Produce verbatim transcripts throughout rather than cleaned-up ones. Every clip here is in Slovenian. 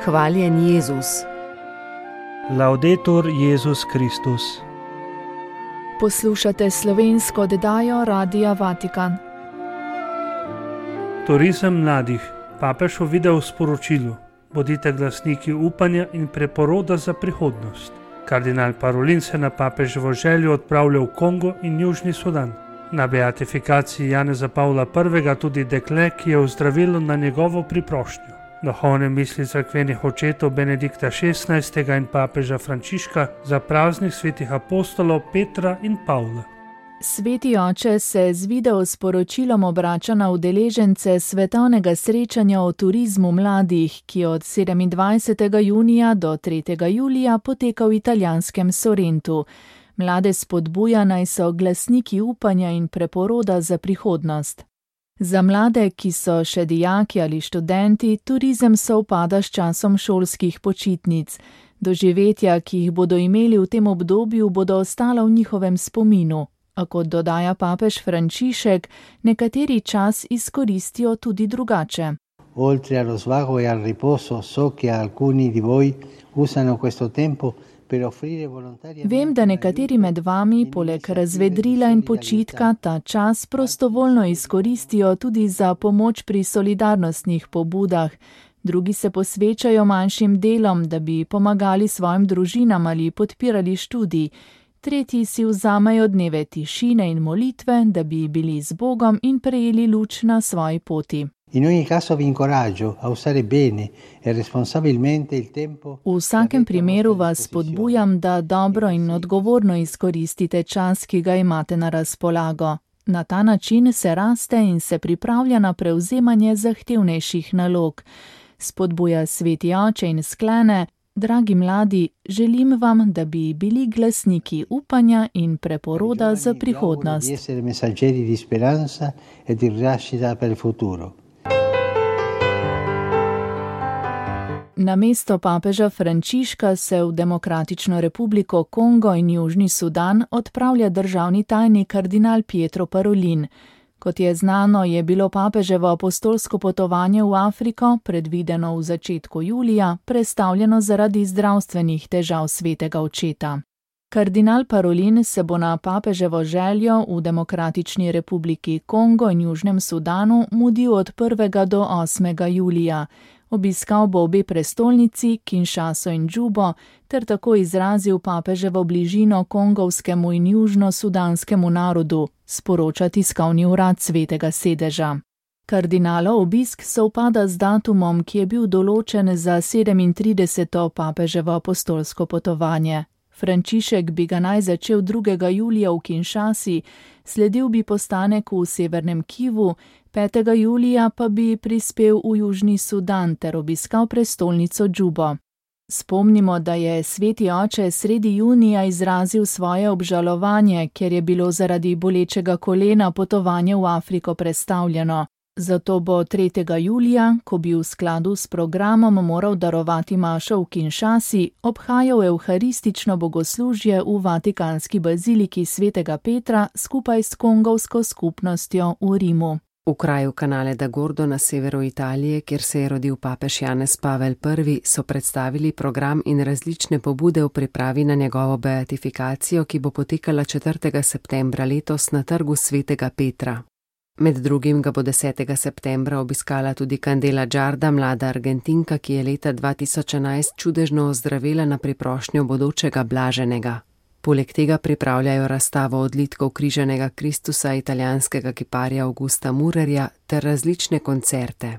Hvaljen Jezus. Laudetur Jezus Kristus. Poslušate slovensko oddajo Radia Vatikan. Turizem mladih. Papež v video sporočilu: bodite glasniki upanja in preporoda za prihodnost. Kardinal Parolin se na papeževo željo odpravlja v Kongo in Južni Sudan. Na beatifikaciji Janeza Pavla prvega tudi dekle, ki je ozdravilo na njegovo priprošnjo. Duhovne misli cerkvenih očetov Benedikta šestnajstega in papeža Frančiška za praznik svetih apostolov Petra in Pavla. Sveti oče se z video sporočilom obrača na udeležence svetovnega srečanja o turizmu mladih, ki od sedemindvajsetega junija do tretjega julija poteka v italijanskem Sorrentu. Mlade spodbuja, naj so glasniki upanja in preporoda za prihodnost. Za mlade, ki so še dijaki ali študenti, turizem sovpada s časom šolskih počitnic. Doživetja, ki jih bodo imeli v tem obdobju, bodo ostala v njihovem spominu. A kot dodaja papež Frančišek, nekateri čas izkoristijo tudi drugače. Oltre allo svago e al riposo, so che alcuni di voi usano questo tempo. Vem, da nekateri med vami poleg razvedrila in počitka ta čas prostovoljno izkoristijo tudi za pomoč pri solidarnostnih pobudah. Drugi se posvečajo manjšim delom, da bi pomagali svojim družinam ali podpirali študij. Tretji si vzamejo dneve tišine in molitve, da bi bili z Bogom in prejeli luč na svoji poti. In ogni caso vi incoraggio a usare bene e responsabilmente il tempo. V vsakem primeru vas spodbujam, da dobro in odgovorno izkoristite čas, ki ga imate na razpolago. Na ta način se raste in se pripravlja na prevzemanje zahtevnejših nalog. Spodbuja sveti oče in sklene: dragi mladi, želim vam, da bi bili glasniki upanja in preporoda za prihodnost. Di essere messaggeri di speranza e di rinascita per il futuro. Na mesto papeža Frančiška se v Demokratično republiko Kongo in Južni Sudan odpravlja državni tajnik kardinal Pietro Parolin. Kot je znano, je bilo papeževo apostolsko potovanje v Afriko, predvideno v začetku julija, prestavljeno zaradi zdravstvenih težav svetega očeta. Kardinal Parolin se bo na papeževo željo v Demokratični republiki Kongo in Južnem Sudanu mudil od prvega do osmega julija. Obiskal bo obe prestolnici, Kinshaso in Džubo, ter tako izrazil papeževo bližino kongovskemu in južno-sudanskemu narodu, sporoča tiskovni urad svetega sedeža. Kardinalov obisk sovpada z datumom, ki je bil določen za sedemintrideseto papeževo apostolsko potovanje. Frančišek bi ga naj začel drugega julija v Kinshasi, sledil bi postanek v severnem Kivu, petega julija pa bi prispel v Južni Sudan ter obiskal prestolnico Džubo. Spomnimo, da je sveti oče sredi junija izrazil svoje obžalovanje, ker je bilo zaradi bolečega kolena potovanje v Afriko prestavljeno. Zato bo tretjega julija, ko bi v skladu s programom moral darovati mašo v Kinshasi, obhajal evharistično bogoslužje v Vatikanski baziliki svetega Petra skupaj s kongovsko skupnostjo v Rimu. V kraju Canale da Gordo na severu Italije, kjer se je rodil papež Janez Pavel prvi, so predstavili program in različne pobude v pripravi na njegovo beatifikacijo, ki bo potekala četrtega septembra letos na trgu svetega Petra. Med drugim ga bo desetega septembra obiskala tudi Candela Giarda, mlada Argentinka, ki je leta dva tisoč enajst čudežno ozdravela na priprošnjo bodočega blaženega. Poleg tega pripravljajo razstavo odlitkov križanega Kristusa italijanskega kiparja Augusta Murerja ter različne koncerte.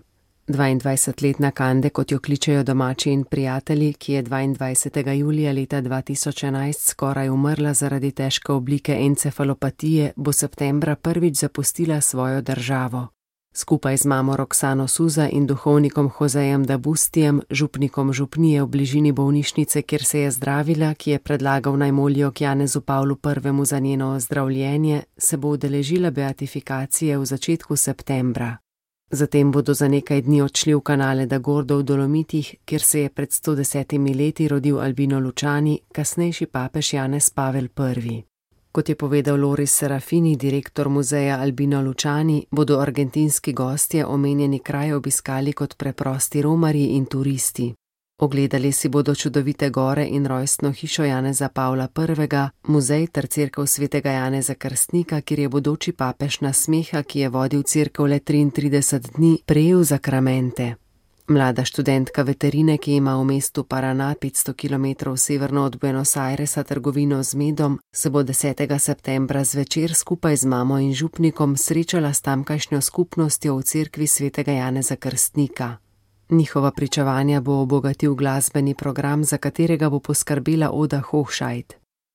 dvaindvajsetletna Cande, kot jo kličejo domači in prijatelji, ki je dvaindvajsetega julija leta dva tisoč enajst skoraj umrla zaradi težke oblike encefalopatije, bo septembra prvič zapustila svojo državo. Skupaj z mamo Roksano Suza in duhovnikom Josejem Dabustijem, župnikom župnije v bližini bolnišnice, kjer se je zdravila, ki je predlagal naj molijo k Janezu Pavlu prvemu za njeno ozdravljenje, se bo udeležila beatifikacije v začetku septembra. Zatem bodo za nekaj dni odšli v Canale da Gordo v Dolomitih, kjer se je pred sto desetimi leti rodil Albino Luciani, kasnejši papež Janez Pavel prvi. Kot je povedal Loris Serafini, direktor muzeja Albino Luciani, bodo argentinski gostje omenjeni kraj obiskali kot preprosti romarji in turisti. Ogledali si bodo čudovite gore in rojstno hišo Janeza Pavla prvega, muzej ter cerkev svetega Janeza Krstnika, kjer je bodoči papež Nasmeha, ki je vodil cerkev le triintrideset dni, prejel zakramente. Mlada študentka veterine, ki ima v mestu Paraná petsto kilometrov severno od Buenos Airesa trgovino z medom, se bo desetega septembra zvečer skupaj z mamo in župnikom srečala s tamkajšnjo skupnostjo v cerkvi svetega Janeza Krstnika. Njihova pričevanja bo obogatil glasbeni program, za katerega bo poskrbela Oda Hochscheid.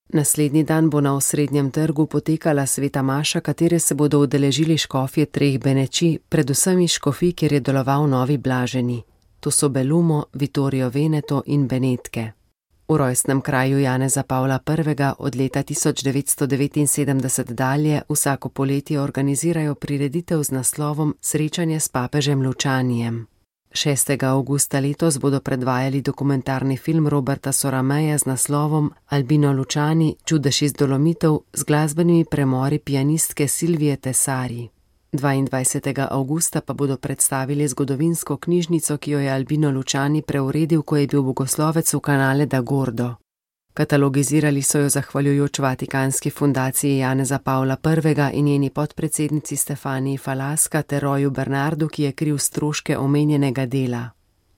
Naslednji dan bo na osrednjem trgu potekala sveta maša, katere se bodo udeležili škofje treh Beneči, predvsem iz škofij, kjer je deloval novi blaženi. To so Bellumo, Vittorio Veneto in Benetke. V rojstnem kraju Janeza Pavla prvega od leta tisoč devetsto devetinsedemdeset dalje vsako poletje organizirajo prireditev z naslovom Srečanje s papežem Lučanijem. šestega avgusta letos bodo predvajali dokumentarni film Roberta Sorameja z naslovom Albino Lučani, čudež iz Dolomitov, z glasbenimi premori pianistke Silvije Tesari. dvaindvajsetega avgusta pa bodo predstavili zgodovinsko knjižnico, ki jo je Albino Lučani preuredil, ko je bil bogoslovec v Canale da Gordo. Katalogizirali so jo zahvaljujoč Vatikanski fundaciji Janeza Pavla prvega in njeni podpredsednici Stefaniji Falaska ter Roju Bernardu, ki je kril stroške omenjenega dela.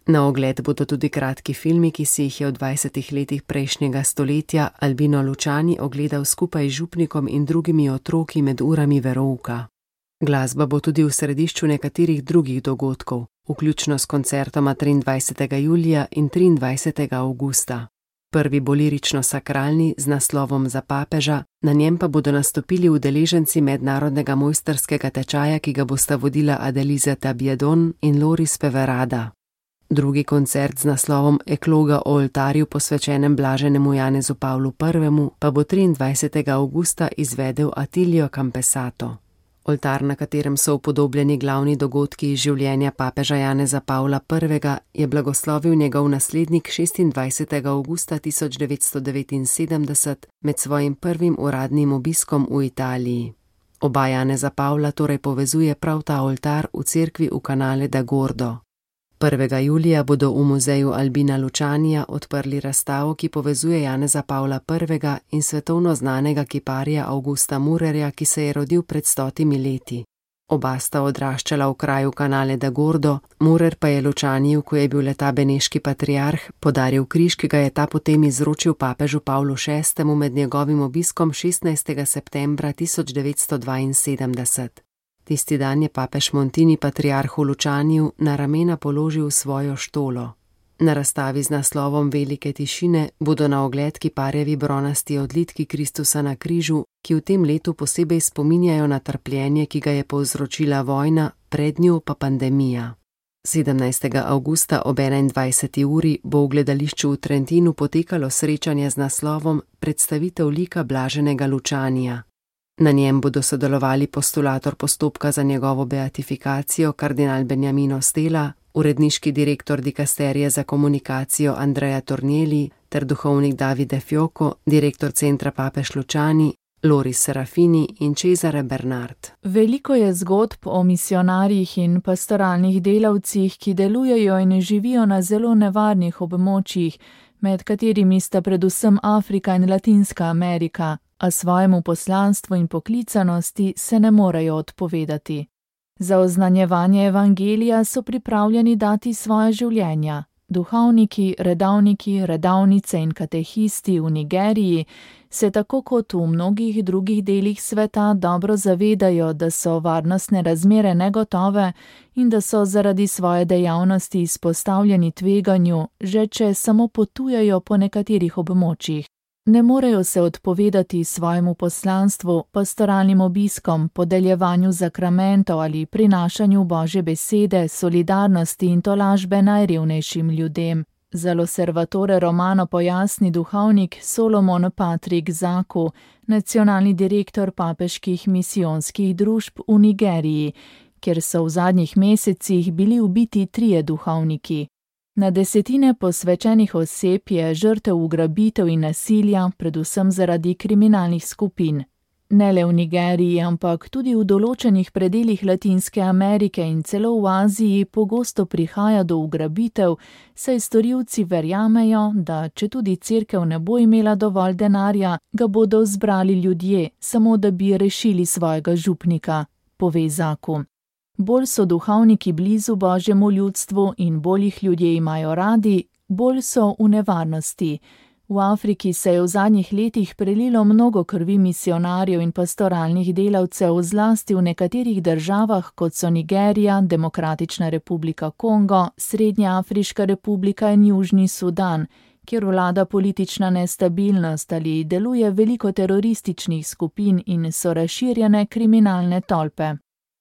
Na ogled bodo tudi kratki filmi, ki si jih je v dvajsetih letih prejšnjega stoletja Albino Lučani ogledal skupaj z župnikom in drugimi otroki med urami verouka. Glasba bo tudi v središču nekaterih drugih dogodkov, vključno s koncertoma triindvajsetega julija in triindvajsetega avgusta. Prvi bo lirično-sakralni z naslovom Za papeža, na njem pa bodo nastopili udeleženci mednarodnega mojstrskega tečaja, ki ga bosta vodila Adeliza Tabiedon in Loris Peverada. Drugi koncert z naslovom Ekloga o oltarju posvečenem blaženemu Janezu Pavlu prvemu pa bo triindvajsetega avgusta izvedel Attilio Campesato. Oltar, na katerem so upodobljeni glavni dogodki iz življenja papeža Janeza Pavla prvega, je blagoslovil njegov naslednik šestindvajsetega avgusta tisoč devetsto devetinsedemdeset med svojim prvim uradnim obiskom v Italiji. Oba Janeza Pavla torej povezuje prav ta oltar v cerkvi v Canale da Gordo. prvega julija bodo v muzeju Albina Lučanija odprli razstavo, ki povezuje Janeza Pavla prvega in svetovno znanega kiparja Augusta Murerja, ki se je rodil pred stotimi leti. Oba sta odraščala v kraju Canale da Gordo, Murer pa je Lučaniju, ko je bil leta beneški patriarh, podaril križ, ki ga je ta potem izročil papežu Pavlu šestemu med njegovim obiskom šestnajstega septembra tisoč devetsto dvainsedemdeset. Tisti dan je papež Montini patriarhu Lučaniju na ramena položil svojo štolo. Na razstavi z naslovom Velike tišine bodo na ogled kiparjevi bronasti odlitki Kristusa na križu, ki v tem letu posebej spominjajo na trpljenje, ki ga je povzročila vojna, pred njo pa pandemija. sedemnajstega avgusta ob enaindvajseti uri bo v gledališču v Trentinu potekalo srečanje z naslovom Predstavitev lika blaženega Lučanija. Na njem bodo sodelovali postulator postopka za njegovo beatifikacijo kardinal Beniamino Stella, uredniški direktor dikasterije za komunikacijo Andrea Tornielli ter duhovnik Davide Fioco, direktor centra Papež Lučani, Loris Serafini in Cesare Bernard. Veliko je zgodb o misionarjih in pastoralnih delavcih, ki delujejo in živijo na zelo nevarnih območjih, med katerimi sta predvsem Afrika in Latinska Amerika, a svojemu poslanstvu in poklicanosti se ne morejo odpovedati. Za oznanjevanje evangelija so pripravljeni dati svoje življenja. Duhovniki, redavniki, redavnice in katehisti v Nigeriji se tako kot v mnogih drugih delih sveta dobro zavedajo, da so varnostne razmere negotove in da so zaradi svoje dejavnosti izpostavljeni tveganju, že če samo potujejo po nekaterih območjih. Ne morejo se odpovedati svojemu poslanstvu, pastoralnim obiskom, podeljevanju zakramentov ali prinašanju Božje besede, solidarnosti in tolažbe najrevnejšim ljudem. Za L'Osservatore Romano pojasni duhovnik Solomon Patrick Zaku, nacionalni direktor papeških misijonskih družb v Nigeriji, kjer so v zadnjih mesecih bili ubiti trije duhovniki. Na desetine posvečenih oseb je žrtev ugrabitev in nasilja, predvsem zaradi kriminalnih skupin. Ne le v Nigeriji, ampak tudi v določenih predeljih Latinske Amerike in celo v Aziji pogosto prihaja do ugrabitev, saj storilci verjamejo, da če tudi cerkev ne bo imela dovolj denarja, ga bodo zbrali ljudje, samo da bi rešili svojega župnika, pove Zaku. Bolj so duhovniki blizu Božjemu ljudstvu in bolj jih ljudje imajo radi, bolj so v nevarnosti. V Afriki se je v zadnjih letih prelilo mnogo krvi misionarjev in pastoralnih delavcev, zlasti v nekaterih državah, kot so Nigerija, Demokratična republika Kongo, Srednja Afriška republika in Južni Sudan, kjer vlada politična nestabilnost ali deluje veliko terorističnih skupin in so razširjene kriminalne tolpe.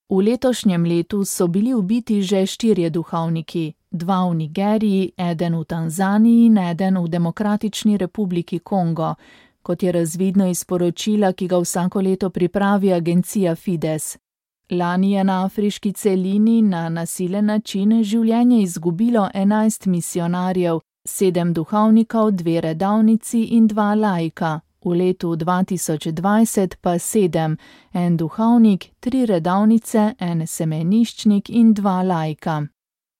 V letošnjem letu so bili ubiti že štirje duhovniki, dva v Nigeriji, eden v Tanzaniji in eden v Demokratični republiki Kongo, kot je razvidno iz poročila, ki ga vsako leto pripravi agencija Fides. Lani je na afriški celini na nasilen način življenje izgubilo enajst misionarjev, sedem duhovnikov, dve redavnici in dva laika. V letu dva tisoč dvajset pa sedem, en duhovnik, tri redavnice, en semeniščnik in dva laika.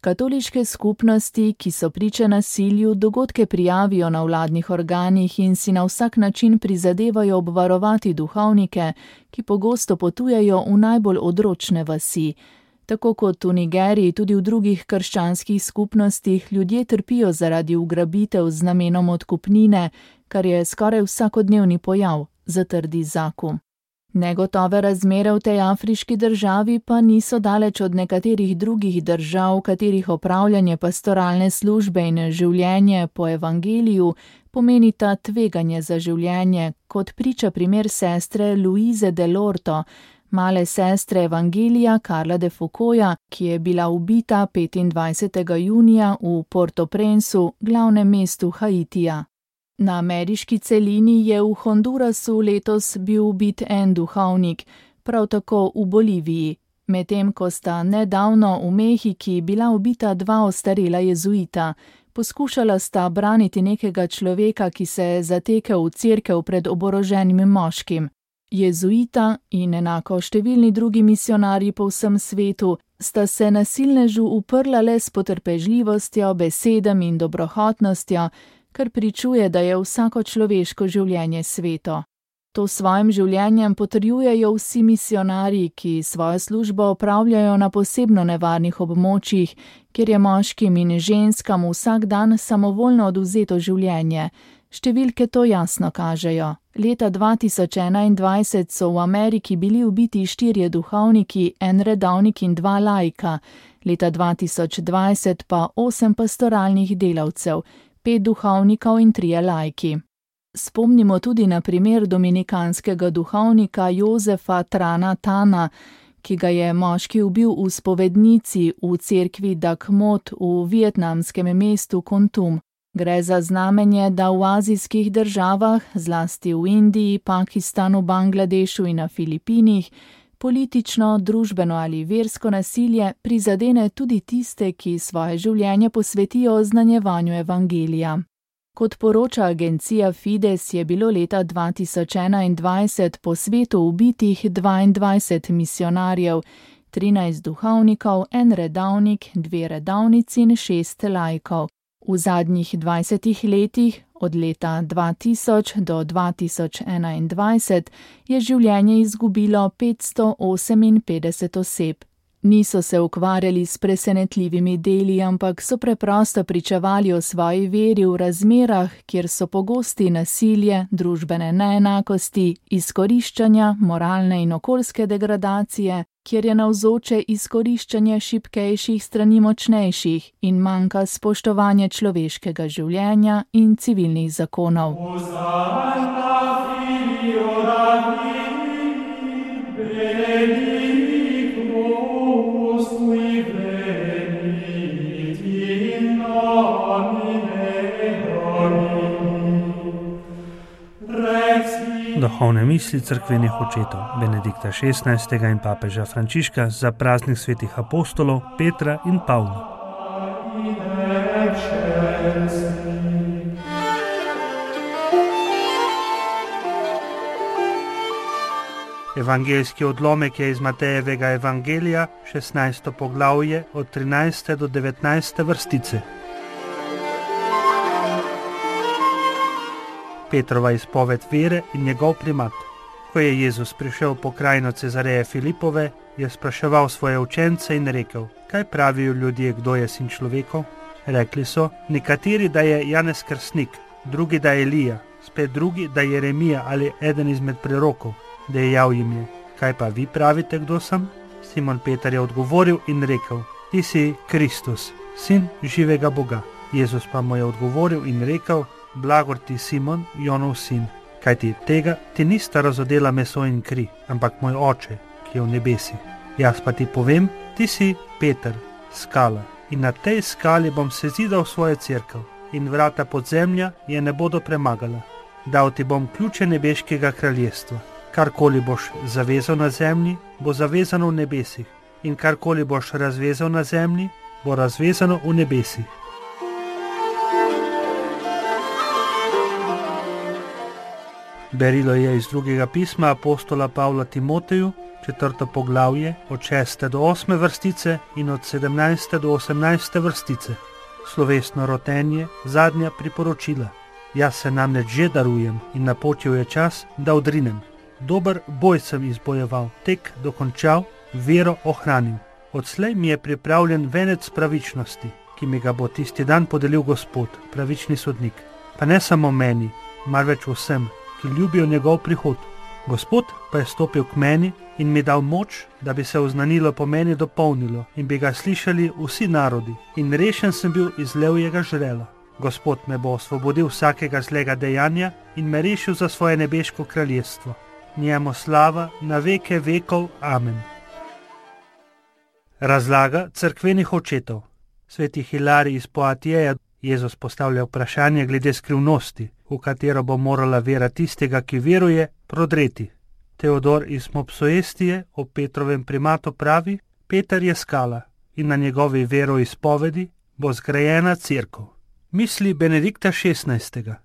Katoliške skupnosti, ki so priče nasilju, dogodke prijavijo na vladnih organih in si na vsak način prizadevajo obvarovati duhovnike, ki pogosto potujejo v najbolj odročne vasi. Tako kot v Nigeriji, tudi v drugih krščanskih skupnostih ljudje trpijo zaradi ugrabitev z namenom odkupnine, kar je skoraj vsakodnevni pojav, zatrdi Zaku. Negotove razmere v tej afriški državi pa niso daleč od nekaterih drugih držav, katerih opravljanje pastoralne službe in življenje po evangeliju pomenita tveganje za življenje, kot priča primer sestre Louise de Lorto, male sestre evangelija Karla de Foucaulta, ki je bila ubita petindvajsetega junija v Port-au-Prince, glavnem mestu Haitija. Na ameriški celini je v Hondurasu letos bil ubit en duhovnik, prav tako v Boliviji, medtem ko sta nedavno v Mehiki bila ubita dva ostarela jezuita. Poskušala sta braniti nekega človeka, ki se je zatekel v cerkev pred oboroženim moškim. Jezuita in enako številni drugi misionarji po vsem svetu sta se nasilnežu uprla le s potrpežljivostjo, besedami in dobrohotnostjo, kar pričuje, da je vsako človeško življenje sveto. To svojim življenjem potrjujejo vsi misionarji, ki svojo službo opravljajo na posebno nevarnih območjih, kjer je moškim in ženskam vsak dan samovoljno odvzeto življenje. Številke to jasno kažejo. Leta dva tisoč enaindvajset so v Ameriki bili ubiti štirje duhovniki, en redavnik in dva laika, leta dva tisoč dvajset pa osem pastoralnih delavcev, pet duhovnikov in trije laiki. Spomnimo tudi na primer dominikanskega duhovnika Josefa Trana Tana, ki ga je moški ubil v spovednici v cerkvi Dak Mot v vietnamskem mestu Kontum. Gre za znamenje, da v azijskih državah, zlasti v Indiji, Pakistanu, Bangladešu in na Filipinih, politično, družbeno ali versko nasilje prizadene tudi tiste, ki svoje življenje posvetijo oznanjevanju evangelija. Kot poroča agencija Fides, je bilo leta dva tisoč enaindvajset po svetu ubitih dvaindvajset misionarjev, trinajst duhovnikov, en redavnik, dve redavnici in šest laikov. V zadnjih dvajsetih letih, od leta dva tisoč do dva tisoč enaindvajset, je življenje izgubilo petsto oseminpetdeset oseb. Niso se ukvarjali s presenetljivimi deli, ampak so preprosto pričevali o svoji veri v razmerah, kjer so pogosti nasilje, družbene neenakosti, izkoriščanja, moralne in okoljske degradacije, kjer je navzoče izkoriščanje šibkejših strani močnejših in manjka spoštovanje človeškega življenja in civilnih zakonov. Duhovne misli cerkvenih očetov Benedikta šestnajstega in papeža Frančiška za praznik svetih apostolov Petra in Pavla. Evangeljski odlomek je iz Matejevega evangelija, šestnajsto poglavje, od trinajste do devetnajste vrstice. Petrova izpoved vere in njegov primat. Ko je Jezus prišel po krajino Cezareje Filipove, je spraševal svoje učence in rekel: kaj pravijo ljudje, kdo je sin človekov? Rekli so, nekateri, da je Janez Krstnik, drugi, da je Elija, spet drugi, da je Jeremija ali eden izmed prerokov. Dejal jim je: kaj pa vi pravite, kdo sem? Simon Peter je odgovoril in rekel: ti si Kristus, sin živega Boga. Jezus pa mu je odgovoril in rekel: blagor ti, Simon, Jonov sin, kajti tega ti nista razodela meso in kri, ampak moj oče, ki je v nebesih. Jaz pa ti povem, ti si Peter, skala, in na tej skali bom sezidal svojo cerkev, in vrata podzemlja je ne bodo premagala. Dal ti bom ključe nebeškega kraljestva. Karkoli boš zavezal na zemlji, bo zavezano v nebesih, in karkoli boš razvezal na zemlji, bo razvezano v nebesih. Berilo je iz drugega pisma apostola Pavla Timoteju, četrto poglavje, od šeste do osme vrstice in od sedemnajste do osemnajste vrstice. Slovesno rotenje, zadnja priporočila. Jaz se namreč že darujem in napočil je čas, da odrinem. Dober boj sem izbojeval, tek dokončal, vero ohranil. Odslej mi je pripravljen venec pravičnosti, ki mi ga bo tisti dan podelil Gospod, pravični sodnik. Pa ne samo meni, marveč vsem, ki ljubijo njegov prihod. Gospod pa je stopil k meni in mi dal moč, da bi se oznanilo po meni dopolnilo in bi ga slišali vsi narodi, in rešen sem bil iz levjega žrela. Gospod me bo osvobodil vsakega zlega dejanja in me rešil za svoje nebeško kraljestvo. Njemu slava na veke vekov. Amen. Razlaga cerkvenih očetov. Sveti Hilarij iz Poatjeja Jezus postavlja vprašanje glede skrivnosti, v katero bo morala vera tistega, ki veruje, prodreti. Teodor iz Mopsuestije o Petrovem primatu pravi: Peter je skala in na njegovi veroizpovedi bo zgrajena cerkev. Misli Benedikta šestnajstega.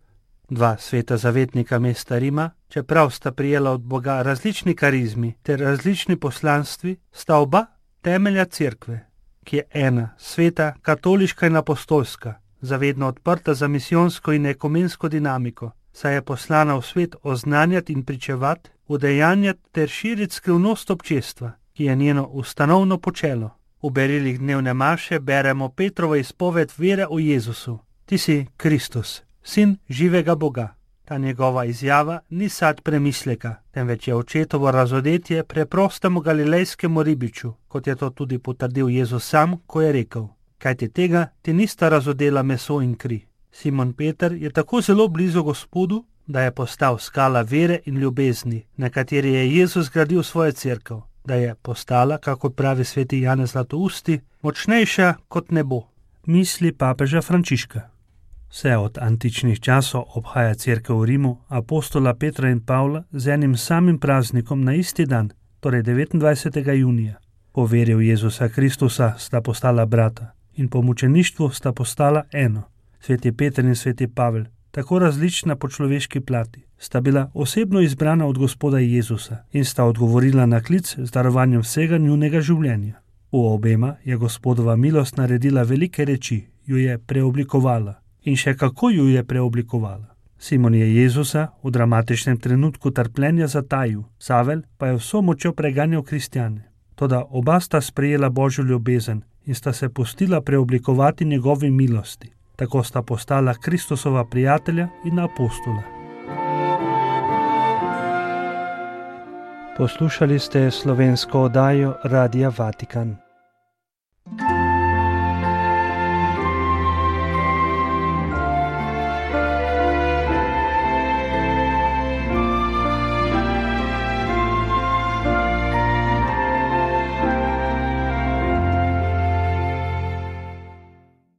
Dva sveta zavetnika mesta Rima, čeprav sta prijela od Boga različni karizmi ter različni poslanstvi, sta oba temelja cerkve, ki je ena, sveta, katoliška in apostolska, zavedno odprta za misijonsko in ekumensko dinamiko, saj je poslana v svet oznanjati in pričevati, udejanjati ter širiti skrivnost občestva, ki je njeno ustanovno počelo. V berilih dnevne maše beremo Petrovo izpoved vere v Jezusu. Ti si Kristus, sin živega Boga. Ta njegova izjava ni sad premisleka, temveč je očetovo razodetje preprostemu galilejskemu ribiču, kot je to tudi potrdil Jezus sam, ko je rekel: kajti tega ti nista razodela meso in kri. Simon Peter je tako zelo blizu Gospodu, da je postal skala vere in ljubezni, na kateri je Jezus gradil svojo cerkev, da je postala, kako pravi sveti Janez Zlatousti, močnejša kot nebo. Misli papeža Frančiška. Vse od antičnih časov obhaja cerkev v Rimu apostola Petra in Pavla z enim samim praznikom na isti dan, torej devetindvajsetega junija. Po veri v Jezusa Kristusa sta postala brata in po mučeništvu sta postala eno. Sveti Peter in sveti Pavel, tako različna po človeški plati, sta bila osebno izbrana od Gospoda Jezusa in sta odgovorila na klic z darovanjem vsega njunega življenja. V obema je Gospodova milost naredila velike reči, jo je preoblikovala. In še kako ju je preoblikovala. Simon je Jezusa v dramatičnem trenutku trpljenja zatajil, Savel pa je vso močjo preganjal kristjane. Toda oba sta sprejela Božjo ljubezen in sta se pustila preoblikovati njegovi milosti. Tako sta postala Kristusova prijatelja in apostola. Poslušali ste slovensko oddajo Radia Vatikan.